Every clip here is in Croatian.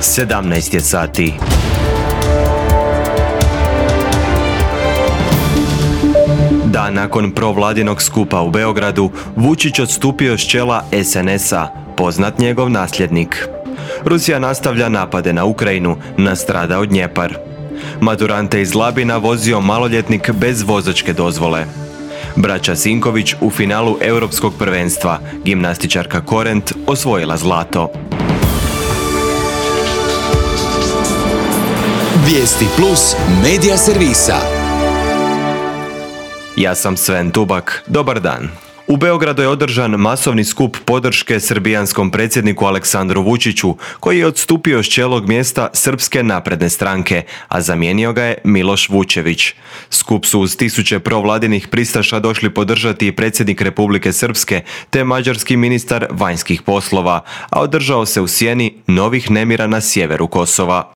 17 je sati. Dan nakon provladinog skupa u Beogradu, Vučić odstupio s čela SNS-a, poznat njegov nasljednik. Rusija nastavlja napade na Ukrajinu, nastradao Dnjepar. Maturante iz Labina vozio maloljetnik bez vozačke dozvole. Braća Sinković u finalu Europskog prvenstva, gimnastičarka Korent osvojila zlato. Vijesti Plus medija servisa. Ja sam Sven Tubak, dobar dan. U Beogradu je održan masovni skup podrške srbijanskom predsjedniku Aleksandru Vučiću, koji je odstupio s čelnog mjesta Srpske napredne stranke, a zamijenio ga je Miloš Vučević. Skup su uz tisuće provladinih pristaša došli podržati i predsjednik Republike Srpske te mađarski ministar vanjskih poslova, a održao se u sjeni novih nemira na sjeveru Kosova.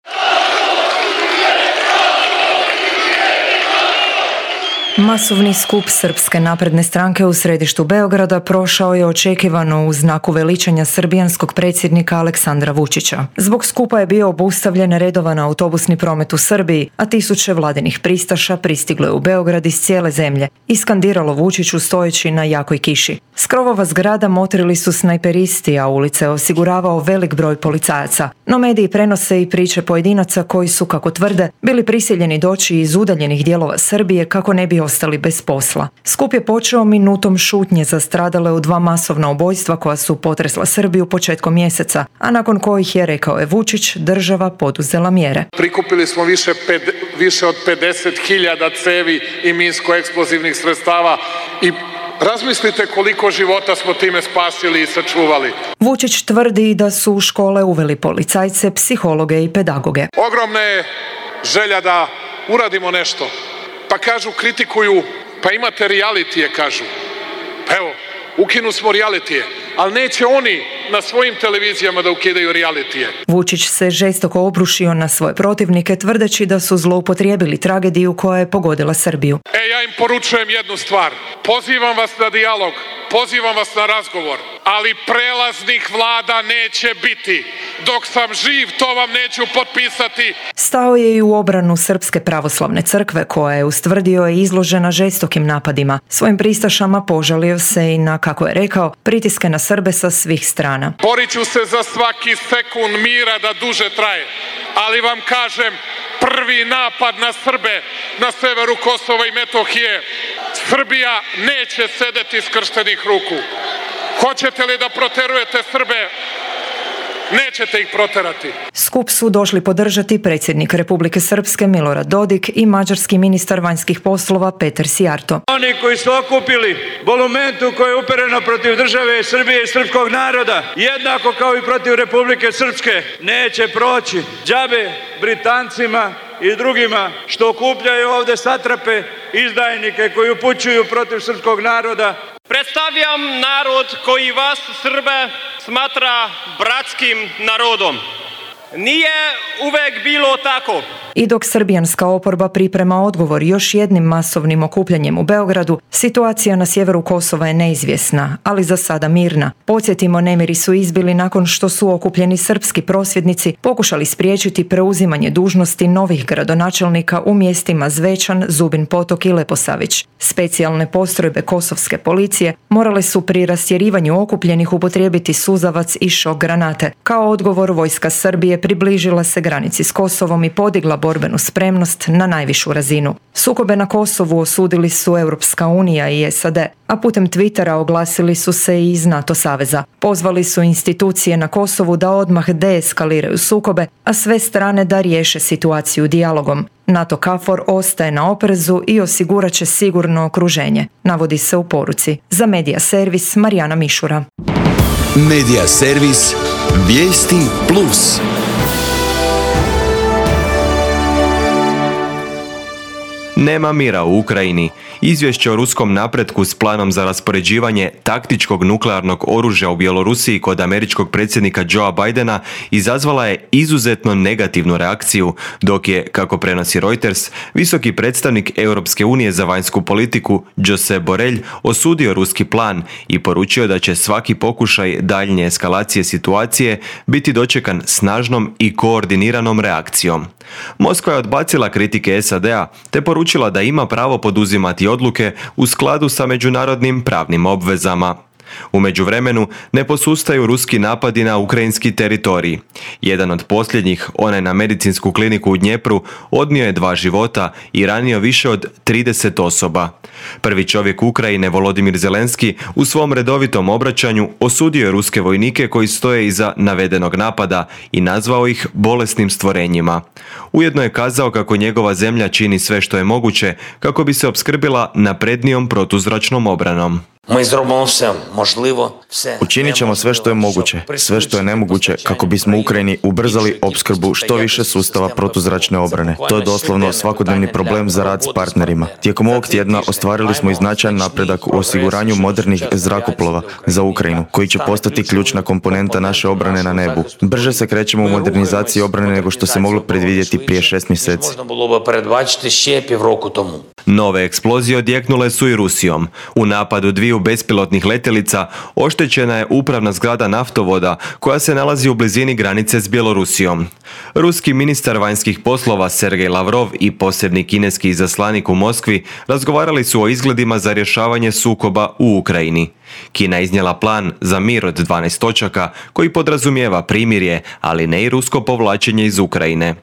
Masovni skup Srpske napredne stranke u središtu Beograda prošao je očekivano u znaku veličanja srbijanskog predsjednika Aleksandra Vučića. Zbog skupa je bio obustavljen redovan autobusni promet u Srbiji, a tisuće vladinih pristaša pristiglo je u Beograd iz cijele zemlje i skandiralo Vučiću stojeći na jakoj kiši. S krovova zgrada motrili su snajperisti, a ulice je osiguravao velik broj policajaca. No mediji prenose i priče pojedinaca koji su, kako tvrde, bili prisiljeni doći iz udaljenih dijelova Srbije kako ne bi ostali bez posla. Skup je počeo minutom šutnje za stradale u 2 masovna ubojstva koja su potresla Srbiju početkom mjeseca, a nakon kojih je, rekao je Vučić, država poduzela mjere. Prikupili smo više od 50.000 cevi i minsko-eksplozivnih sredstava i razmislite koliko života smo time spasili i sačuvali. Vučić tvrdi da su u škole uveli policajce, psihologe i pedagoge. Ogromna je želja da uradimo nešto. Pa kažu, kritikuju, pa imate realitije, kažu. Pa evo, ukinu smo realitije, ali neće oni na svojim televizijama da ukidaju realitije. Vučić se žestoko obrušio na svoje protivnike, tvrdeći da su zloupotrijebili tragediju koja je pogodila Srbiju. Ja im poručujem jednu stvar. Pozivam vas na dijalog, pozivam vas na razgovor, ali prelaznih vlada neće biti. Dok sam živ, to vam neću potpisati. Stao je i u obranu Srpske pravoslavne crkve, koja je, ustvrdio, je izložena žestokim napadima. Svojim pristašama požalio se i na, kako je rekao, pritiske na Srbe sa svih strana. Borit ću se za svaki sekund mira da duže traje, ali vam kažem, prvi napad na Srbe na severu Kosova i Metohije, Srbija neće sedeti skrštenih ruku. Hoćete li da proterujete Srbe? Nećete ih proterati. Skup su došli podržati predsjednik Republike Srpske Milorad Dodik i mađarski ministar vanjskih poslova Peter Sijarto. Oni koji su okupili bolumentu koja je uperena protiv države Srbije i srpskog naroda, jednako kao i protiv Republike Srpske, neće proći. Džabe Britancima i drugima što okupljaju ovde satrape, izdajnike koji upućuju protiv srpskog naroda. Predstavljam narod koji vas, Srbe, smatra bratskim narodom. Nije uvek bilo tako. I dok srbijanska oporba priprema odgovor još jednim masovnim okupljanjem u Beogradu, situacija na sjeveru Kosova je neizvjesna, ali za sada mirna. Podsjetimo, nemiri su izbili nakon što su okupljeni srpski prosvjednici pokušali spriječiti preuzimanje dužnosti novih gradonačelnika u mjestima Zvečan, Zubin Potok i Leposavić. Specijalne postrojbe kosovske policije morale su pri rastjerivanju okupljenih upotrijebiti suzavac i šok granate. Kao odgovor, vojska Srbije približila se granici s Kosovom i podigla borbenu spremnost na najvišu razinu. Sukobe na Kosovu osudili su Europska unija i SAD, a putem Twittera oglasili su se i iz NATO saveza. Pozvali su institucije na Kosovu da odmah deeskaliraju sukobe, a sve strane da riješe situaciju dijalogom. NATO KFOR ostaje na oprezu i osigurat će sigurno okruženje, navodi se u poruci. Za Medija servis Marijana Mišura. Medija servis Vijesti Plus. Nema mira u Ukrajini. Izvješće o ruskom napretku s planom za raspoređivanje taktičkog nuklearnog oružja u Bjelorusiji kod američkog predsjednika Joea Bidena izazvala je izuzetno negativnu reakciju, dok je, kako prenosi Reuters, visoki predstavnik Europske unije za vanjsku politiku Josep Borrell osudio ruski plan i poručio da će svaki pokušaj daljnje eskalacije situacije biti dočekan snažnom i koordiniranom reakcijom. Moskva je odbacila kritike SAD-a te poručila da ima pravo poduzimati odluke u skladu sa međunarodnim pravnim obvezama. U međuvremenu ne posustaju ruski napadi na ukrajinski teritorij. Jedan od posljednjih, onaj na medicinsku kliniku u Dnjepru, odnio je 2 života i ranio više od 30 osoba. Prvi čovjek Ukrajine, Volodimir Zelenski, u svom redovitom obraćanju osudio je ruske vojnike koji stoje iza navedenog napada i nazvao ih bolesnim stvorenjima. Ujedno je kazao kako njegova zemlja čini sve što je moguće kako bi se opskrbila naprednijom protuzračnom obranom. Učinit ćemo sve što je moguće, sve što je nemoguće kako bismo Ukrajini ubrzali opskrbu što više sustava protuzračne obrane. To je doslovno svakodnevni problem za rad s partnerima. Tijekom ovog tjedna ostvarili smo i značajan napredak u osiguranju modernih zrakoplova za Ukrajinu, koji će postati ključna komponenta naše obrane na nebu. Brže se krećemo u modernizaciji obrane nego što se moglo predvidjeti prije 6 mjeseci. Nove eksplozije odjeknule su i Rusijom. U napadu 2 bespilotnih letjelica oštećena je upravna zgrada naftovoda koja se nalazi u blizini granice s Bjelorusijom. Ruski ministar vanjskih poslova Sergej Lavrov i posebni kineski izaslanik u Moskvi razgovarali su o izgledima za rješavanje sukoba u Ukrajini. Kina je iznijela plan za mir od 12 točaka koji podrazumijeva primirje, ali ne i rusko povlačenje iz Ukrajine.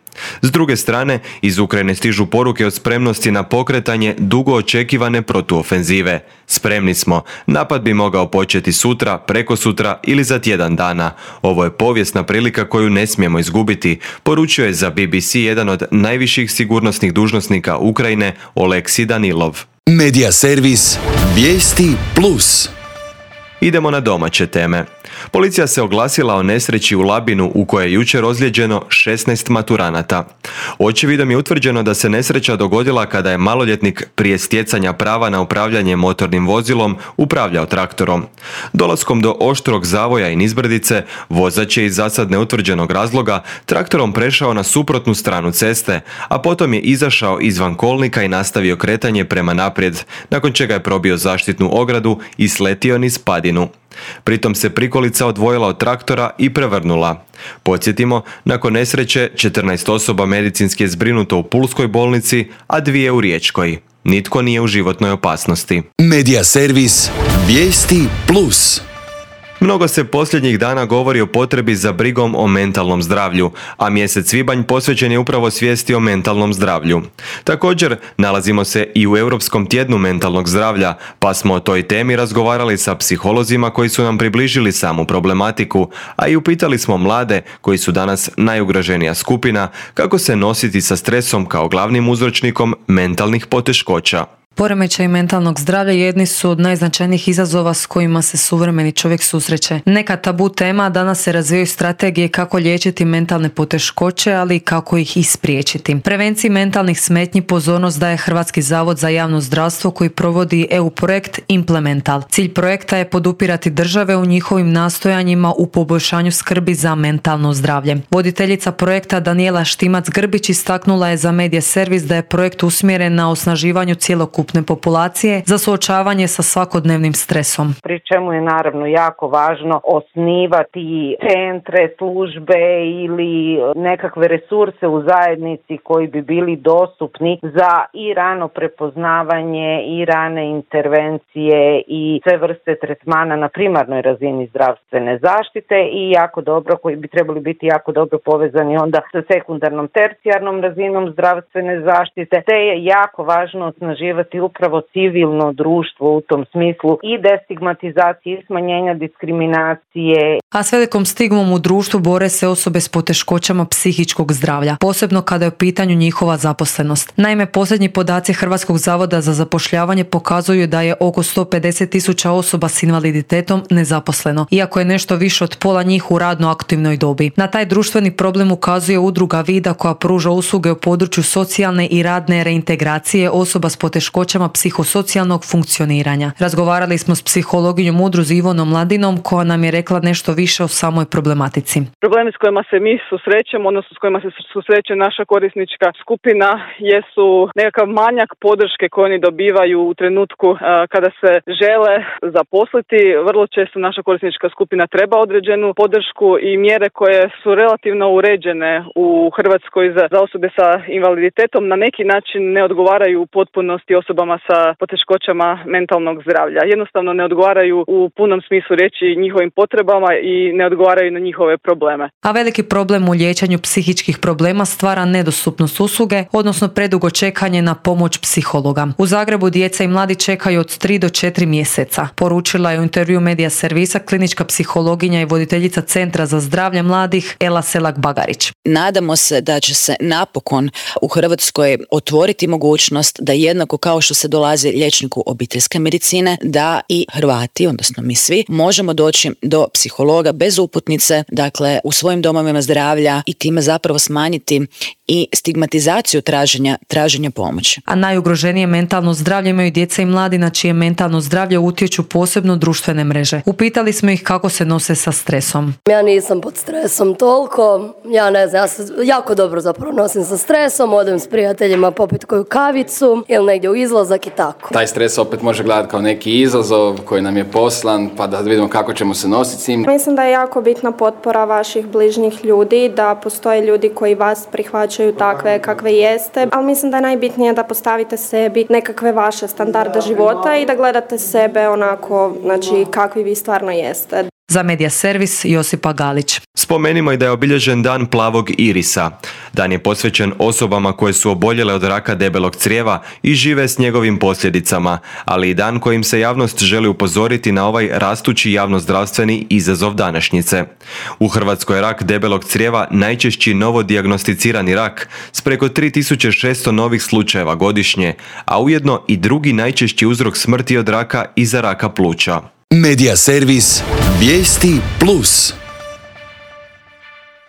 S druge strane, iz Ukrajine stižu poruke o spremnosti na pokretanje dugo očekivane protuofenzive. Spremni smo, napad bi mogao početi sutra, prekosutra ili za tjedan dana. Ovo je povijesna prilika koju ne smijemo izgubiti, poručio je za BBC jedan od najviših sigurnosnih dužnosnika Ukrajine, Oleksij Danilov. Media servis Vijesti Plus. Idemo na domaće teme. Policija se oglasila o nesreći u Labinu u kojoj je jučer ozlijeđeno 16 maturanata. Očevidom je utvrđeno da se nesreća dogodila kada je maloljetnik prije stjecanja prava na upravljanje motornim vozilom upravljao traktorom. Dolaskom do oštrog zavoja i nizbrdice, vozač je iz zasad neutvrđenog razloga traktorom prešao na suprotnu stranu ceste, a potom je izašao izvan kolnika i nastavio kretanje prema naprijed, nakon čega je probio zaštitnu ogradu i sletio niz padinu. Pritom se prikolica odvojila od traktora i prevrnula. Podsjetimo, nakon nesreće 14 osoba medicinski je zbrinuto u Pulskoj bolnici, a 2 u Riječkoj. Nitko nije u životnoj opasnosti. Media servis Vijesti Plus. Mnogo se posljednjih dana govori o potrebi za brigom o mentalnom zdravlju, a mjesec svibanj posvećen je upravo svijesti o mentalnom zdravlju. Također, nalazimo se i u Europskom tjednu mentalnog zdravlja, pa smo o toj temi razgovarali sa psiholozima koji su nam približili samu problematiku, a i upitali smo mlade, koji su danas najugroženija skupina, kako se nositi sa stresom kao glavnim uzročnikom mentalnih poteškoća. Poremećaj mentalnog zdravlja jedni su od najznačajnijih izazova s kojima se suvremeni čovjek susreće. Neka tabu tema, danas se razvijaju strategije kako liječiti mentalne poteškoće, ali i kako ih ispriječiti. Prevenciji mentalnih smetnji pozornost daje Hrvatski zavod za javno zdravstvo koji provodi EU projekt Implemental. Cilj projekta je podupirati države u njihovim nastojanjima u poboljšanju skrbi za mentalno zdravlje. Voditeljica projekta Danijela Štimac-Grbić istaknula je za Media servis da je projekt usmjeren na osnaživanju cjelokupne populacije za suočavanje sa svakodnevnim stresom. Pri čemu je naravno jako važno osnivati centre, službe ili nekakve resurse u zajednici koji bi bili dostupni za i rano prepoznavanje i rane intervencije i sve vrste tretmana na primarnoj razini zdravstvene zaštite i jako dobro, koji bi trebali biti jako dobro povezani onda sa sekundarnom, tercijarnom razinom zdravstvene zaštite, te je jako važno osnaživati jačati upravo civilno društvo u tom smislu i destigmatizacije i smanjenja diskriminacije. A s velikom stigmom u društvu bore se osobe s poteškoćama psihičkog zdravlja, posebno kada je u pitanju njihova zaposlenost. Naime, posljednji podaci Hrvatskog zavoda za zapošljavanje pokazuju da je oko 150.000 osoba s invaliditetom nezaposleno, iako je nešto više od pola njih u radno aktivnoj dobi. Na taj društveni problem ukazuje udruga Vida koja pruža usluge u području socijalne i radne reintegracije osoba s poteškoćama psihosocijalnog funkcioniranja. Razgovarali smo s psihologinjom udruzi Ivonom Mladinom koja nam je rekla nešto više o samoj problematici. Problemi s kojima se mi susrećemo, odnosno s kojima se susreće naša korisnička skupina, jesu nekakav manjak podrške koju oni dobivaju u trenutku kada se žele zaposliti. Vrlo često naša korisnička skupina treba određenu podršku i mjere koje su relativno uređene u Hrvatskoj za osobe sa invaliditetom na neki način ne odgovaraju u potpunosti osobama sa poteškoćama mentalnog zdravlja. Jednostavno ne odgovaraju u punom smislu riječi njihovim potrebama i ne odgovaraju na njihove probleme. A veliki problem u liječenju psihičkih problema stvara nedostupnost usluge, odnosno predugo čekanje na pomoć psihologa. U Zagrebu djeca i mladi čekaju od 3 do 4 mjeseca. Poručila je u intervju Medija Servisa klinička psihologinja i voditeljica Centra za zdravlje mladih Ela Selak-Bagarić. Nadamo se da će se napokon u Hrvatskoj otvoriti mogućnost da jednako kao što se dolazi liječniku obiteljske medicine, da i Hrvati, odnosno mi svi, možemo doći do psihologa bez uputnice, dakle u svojim domovima zdravlja i time zapravo smanjiti i stigmatizaciju traženja pomoći. A najugroženije mentalno zdravlje imaju djeca i mladi na čije mentalno zdravlje utječu posebno društvene mreže. Upitali smo ih kako se nose sa stresom. Ja nisam pod stresom toliko, ja ne znam, ja se jako dobro zapravo nosim sa stresom, odem s prijateljima popit koju kavicu ili negdje u izlazak i tako. Taj stres opet može gledati kao neki izazov koji nam je poslan, pa da vidimo kako ćemo se nositi s njim. Mislim da je jako bitna potpora vaših bližnjih ljudi, da postoje ljudi koji vas prihvaćaju takve kakve jeste, ali mislim da je najbitnije da postavite sebi nekakve vaše standarde života i da gledate sebe onako, znači kakvi vi stvarno jeste. Za Medija Servis Josipa Galić. Spomenimo i da je obilježen Dan plavog irisa. Dan je posvećen osobama koje su oboljele od raka debelog crijeva i žive s njegovim posljedicama, ali i dan kojim se javnost želi upozoriti na ovaj rastući javnozdravstveni izazov današnjice. U Hrvatskoj je rak debelog crijeva najčešći novo dijagnosticirani rak s preko 3600 novih slučajeva godišnje, a ujedno i drugi najčešći uzrok smrti od raka iza raka pluća. Medija Servis Vijesti Plus.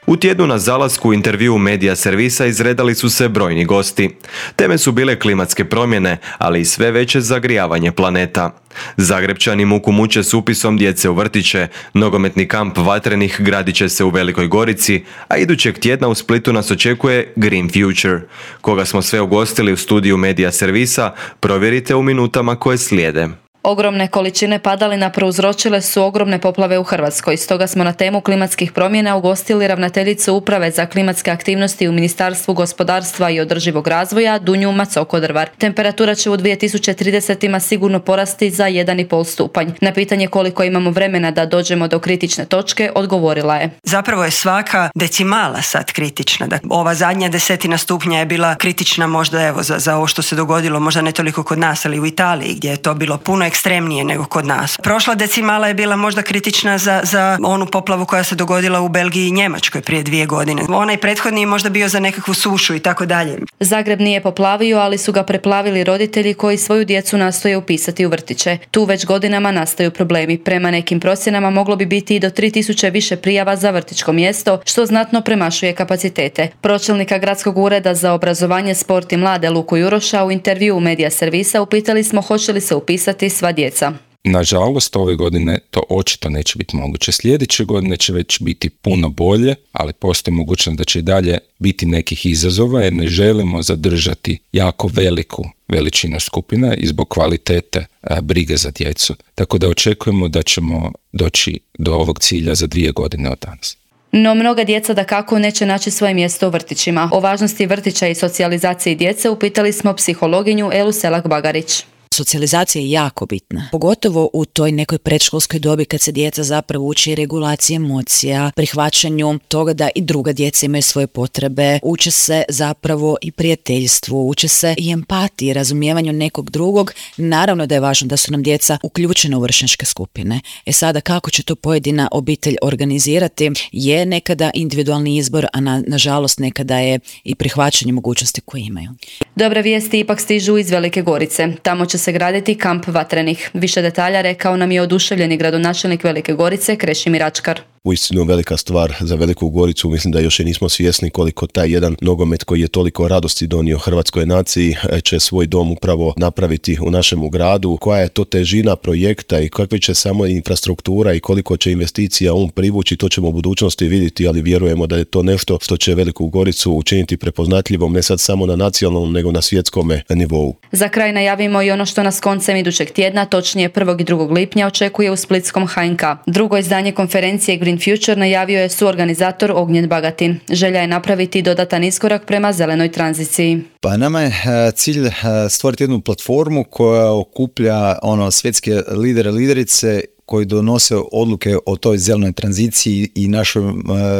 U tjednu na zalasku u intervju Medija Servisa izredali su se brojni gosti. Teme su bile klimatske promjene, ali i sve veće zagrijavanje planeta. Zagrebčani muku muče s upisom djece u vrtiće, nogometni kamp Vatrenih gradit će se u Velikoj Gorici, a idućeg tjedna u Splitu nas očekuje Green Future. Koga smo sve ugostili u studiju Medija Servisa, provjerite u minutama koje slijede. Ogromne količine padalina prouzročile su ogromne poplave u Hrvatskoj. Stoga smo na temu klimatskih promjena ugostili ravnateljicu Uprave za klimatske aktivnosti u Ministarstvu gospodarstva i održivog razvoja Dunju Macoko-Drvar. Temperatura će u 2030-ima sigurno porasti za 1,5 stupanj. Na pitanje koliko imamo vremena da dođemo do kritične točke, odgovorila je. Zapravo je svaka decimala sad kritična. Ova zadnja 10 stupnja je bila kritična možda za ovo što se dogodilo, možda ne toliko kod nas, ali u Italiji gdje je to bilo puno ekstremnije nego kod nas. Prošla decimala je bila možda kritična za onu poplavu koja se dogodila u Belgiji i Njemačkoj prije 2 godine. Onaj prethodni je možda bio za nekakvu sušu i tako dalje. Zagreb nije poplavio, ali su ga preplavili roditelji koji svoju djecu nastoje upisati u vrtiće. Tu već godinama nastaju problemi. Prema nekim procjenama moglo bi biti i do 3000 više prijava za vrtićko mjesto, što znatno premašuje kapacitete. Pročelnika Gradskog ureda za obrazovanje, sport i mlade Luku Juroša u intervju Medija Servisa upitali smo hoće li se upisati sva djeca. Nažalost, ove godine to očito neće biti moguće. Sljedeće godine će već biti puno bolje, ali postoji mogućnost da će i dalje biti nekih izazova jer ne želimo zadržati jako veliku veličinu skupina i zbog kvalitete brige za djecu. Tako da očekujemo da ćemo doći do ovog cilja za 2 godine od danas. No mnoga djeca dakako neće naći svoje mjesto u vrtićima. O važnosti vrtića i socijalizaciji djece upitali smo psihologinju Elu Selak-Bagarić. Socijalizacija je jako bitna, pogotovo u toj nekoj predškolskoj dobi kad se djeca zapravo uči regulaciji emocija, prihvaćanju toga da i druga djeca imaju svoje potrebe, uče se zapravo i prijateljstvu, uče se i empatiji, razumijevanju nekog drugog. Naravno da je važno da su nam djeca uključena u vršnjačke skupine. Sada kako će to pojedina obitelj organizirati je nekada individualni izbor, a nažalost nekada je i prihvaćanje mogućnosti koje imaju. Dobre vijesti ipak stižu iz Velike Gorice. Tamo će se graditi kamp vatrenih. Više detalja rekao nam je oduševljeni gradonačelnik Velike Gorice Krešimir Ačkar. Uistinu velika stvar za Veliku Goricu, mislim da još i nismo svjesni koliko taj jedan nogomet koji je toliko radosti donio hrvatskoj naciji će svoj dom upravo napraviti u našem gradu. Koja je to težina projekta i kakva će samo infrastruktura i koliko će investicija on privući, to ćemo u budućnosti vidjeti, ali vjerujemo da je to nešto što će Veliku Goricu učiniti prepoznatljivom ne sad samo na nacionalnom nego na svjetskom nivou. Za kraj najavimo i ono što nas koncem idućeg tjedna, točnije 1. i 2. lipnja očekuje u splitskom HNK. Drugo izdanje konferencije Green Future najavio je suorganizator Ognjen Bagatin. Želja je napraviti dodatan iskorak prema zelenoj tranziciji. Pa nama je cilj stvoriti jednu platformu koja okuplja svjetske lidere, liderice koji donose odluke o toj zelenoj tranziciji i našoj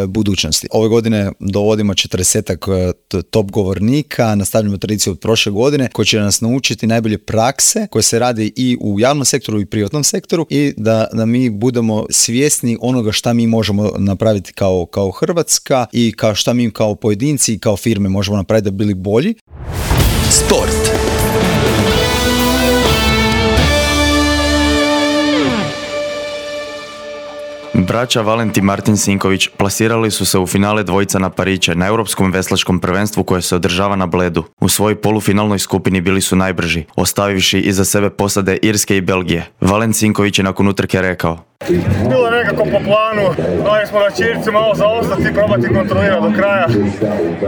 budućnosti. Ove godine dovodimo 40 top govornika, nastavljamo tradiciju od prošle godine koji će nas naučiti najbolje prakse koje se radi i u javnom sektoru i privatnom sektoru i da mi budemo svjesni onoga šta mi možemo napraviti kao Hrvatska i šta mi kao pojedinci i kao firme možemo napraviti da bi bili bolji. Sport. Braća Valentin i Martin Sinković plasirali su se u finale dvojica na pariće na Europskom veslačkom prvenstvu koje se održava na Bledu. U svojoj polufinalnoj skupini bili su najbrži, ostavivši iza sebe posade Irske i Belgije. Valentin Sinković je nakon utrke rekao: Bilo je nekako po planu, dali smo na čirci malo zaostati i probati kontrolirati do kraja.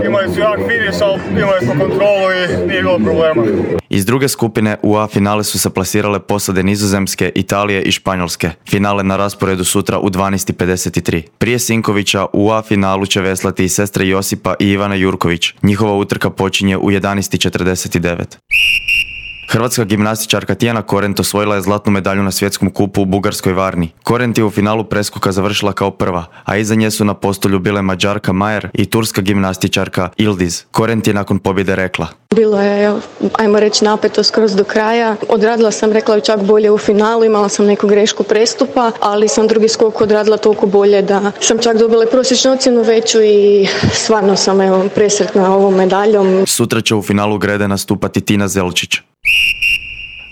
Imali su jak finiš, ali imali smo kontrolu i nije bilo problema. Iz druge skupine u A finale su se plasirale posade Nizozemske, Italije i Španjolske. Finale na rasporedu sutra u 12:53. Prije Sinkovića u A finalu će veslati i sestre Josipa i Ivana Jurković. Njihova utrka počinje u 11:49. Hrvatska gimnastičarka Tijana Korent osvojila je zlatnu medalju na svjetskom kupu u bugarskoj Varni. Korent je u finalu preskoka završila kao prva, a iza nje su na postolju bile Mađarka Majer i turska gimnastičarka Ildiz. Korent je nakon pobjede rekla: Bilo je, ajmo reći, napeto skroz do kraja. Odradila sam, rekla bih, čak bolje u finalu, imala sam neku grešku prestupa, ali sam drugi skok odradila toliko bolje da sam čak dobila prosječnu ocjenu veću i stvarno sam presretna ovom medaljom. Sutra će u finalu grede nastupati Tina Zelčić.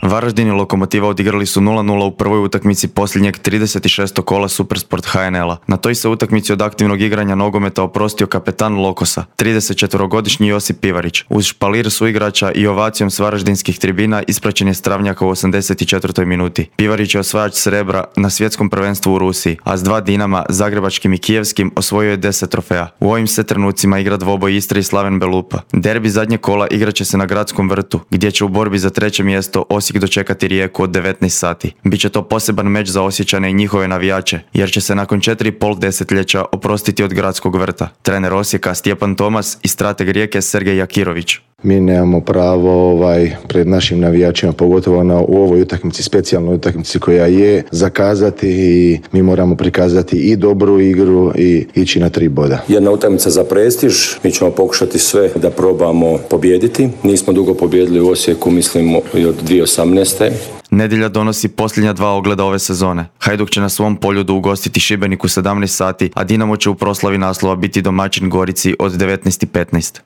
Varaždin i Lokomotiva odigrali su 0:0 u prvoj utakmici posljednjeg 36. kola Supersport HNL-a. Na toj se utakmici od aktivnog igranja nogometa oprostio kapetan Lokosa, 34-godišnji Josip Pivarić. Uz špalir suigrača i ovacijom s varaždinskih tribina ispraćen je Stravnjaka u 84. minuti. Pivarić je osvajač srebra na svjetskom prvenstvu u Rusiji, a s 2 Dinama, zagrebačkim i kijevskim, osvojio je 10 trofeja. U ovim se trenucima igra dvoboj Istre i Slaven Belupa. Derbi zadnje kola igraće se na Gradskom vrtu, gdje će u borbi za 3. mjesto Osijek dočekati Rijeku od 19 sati. Biće to poseban meč za Osječane i njihove navijače, jer će se nakon 4,5 desetljeća oprostiti od Gradskog vrta. Trener Osijeka Stjepan Tomas i strateg Rijeke Sergej Jakirović. Mi nemamo pravo pred našim navijačima, pogotovo u ovoj utakmici, specijalnoj utakmici koja je, zakazati i mi moramo prikazati i dobru igru i ići na 3 boda. Jedna utakmica za prestiž, mi ćemo pokušati sve da probamo pobijediti. Nismo dugo pobijedili u Osijeku, mislimo i od 2018. Nedjelja donosi posljednja 2 ogleda ove sezone. Hajduk će na svom poljudu ugostiti Šibenik u 17 sati, a Dinamo će u proslavi naslova biti domaćin Gorici od 19:15.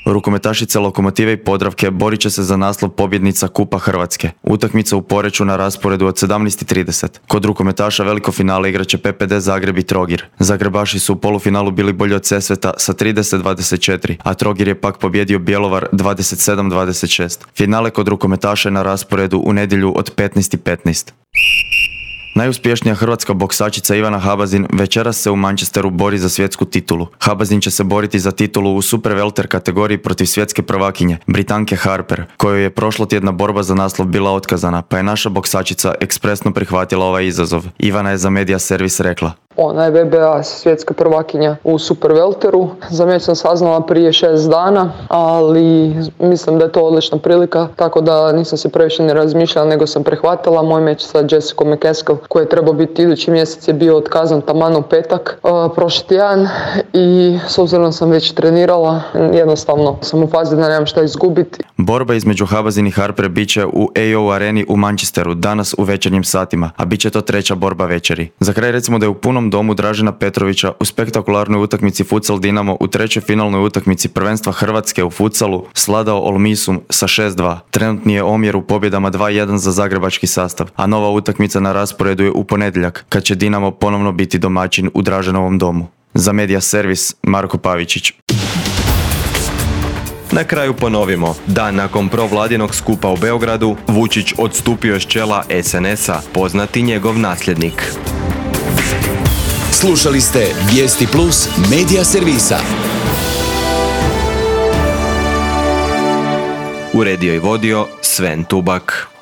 Rukometašice Lokomotive i Podravke borit će se za naslov pobjednica Kupa Hrvatske. Utakmica u Poreču na rasporedu od 17:30. Kod rukometaša veliko finale igraće PPD Zagreb i Trogir. Zagrebaši su u polufinalu bili bolji od Sesveta sa 30-24, a Trogir je pak pobjedio Bjelovar 27-26. Finale kod rukometaša je na rasporedu u nedjelju od 15:15. Najuspješnija hrvatska boksačica Ivana Habazin večeras se u Manchesteru bori za svjetsku titulu. Habazin će se boriti za titulu u super welter kategoriji protiv svjetske prvakinje, Britanke Harper, kojoj je prošlotjedna borba za naslov bila otkazana, pa je naša boksačica ekspresno prihvatila ovaj izazov. Ivana je za Media Servis rekla: Ona je WBA svjetska prvakinja u supervelteru. Za mene sam saznala prije 6 dana, ali mislim da je to odlična prilika, tako da nisam se previše ne razmišljala, nego sam prehvatila moj meč sa Jessicom McCaskill, koji je trebao biti idući mjesec, je bio otkazan taman u petak prošli tjedan i s obzirom sam već trenirala, jednostavno sam u fazi da nemam šta izgubiti. Borba između Habazin i Harper bit će u AO areni u Manchesteru danas u večernjim satima, a bit će to treća borba večeri. Za kraj recimo da je u punom domu Dražena Petrovića u spektakularnoj utakmici Futsal Dinamo u trećoj finalnoj utakmici prvenstva Hrvatske u futsalu sladao Olmisum sa 6-2. Trenutni je omjer u pobjedama 2-1 za zagrebački sastav, a nova utakmica na rasporedu je u ponedjeljak, kad će Dinamo ponovno biti domaćin u Draženovom domu. Za Media Servis, Marko Pavičić. Na kraju ponovimo, dan nakon provladinog skupa u Beogradu, Vučić odstupio s čela SNS-a, poznati njegov nasljednik. Slušali ste Vijesti Plus Media Servisa. Uredio i vodio Sven Tubak.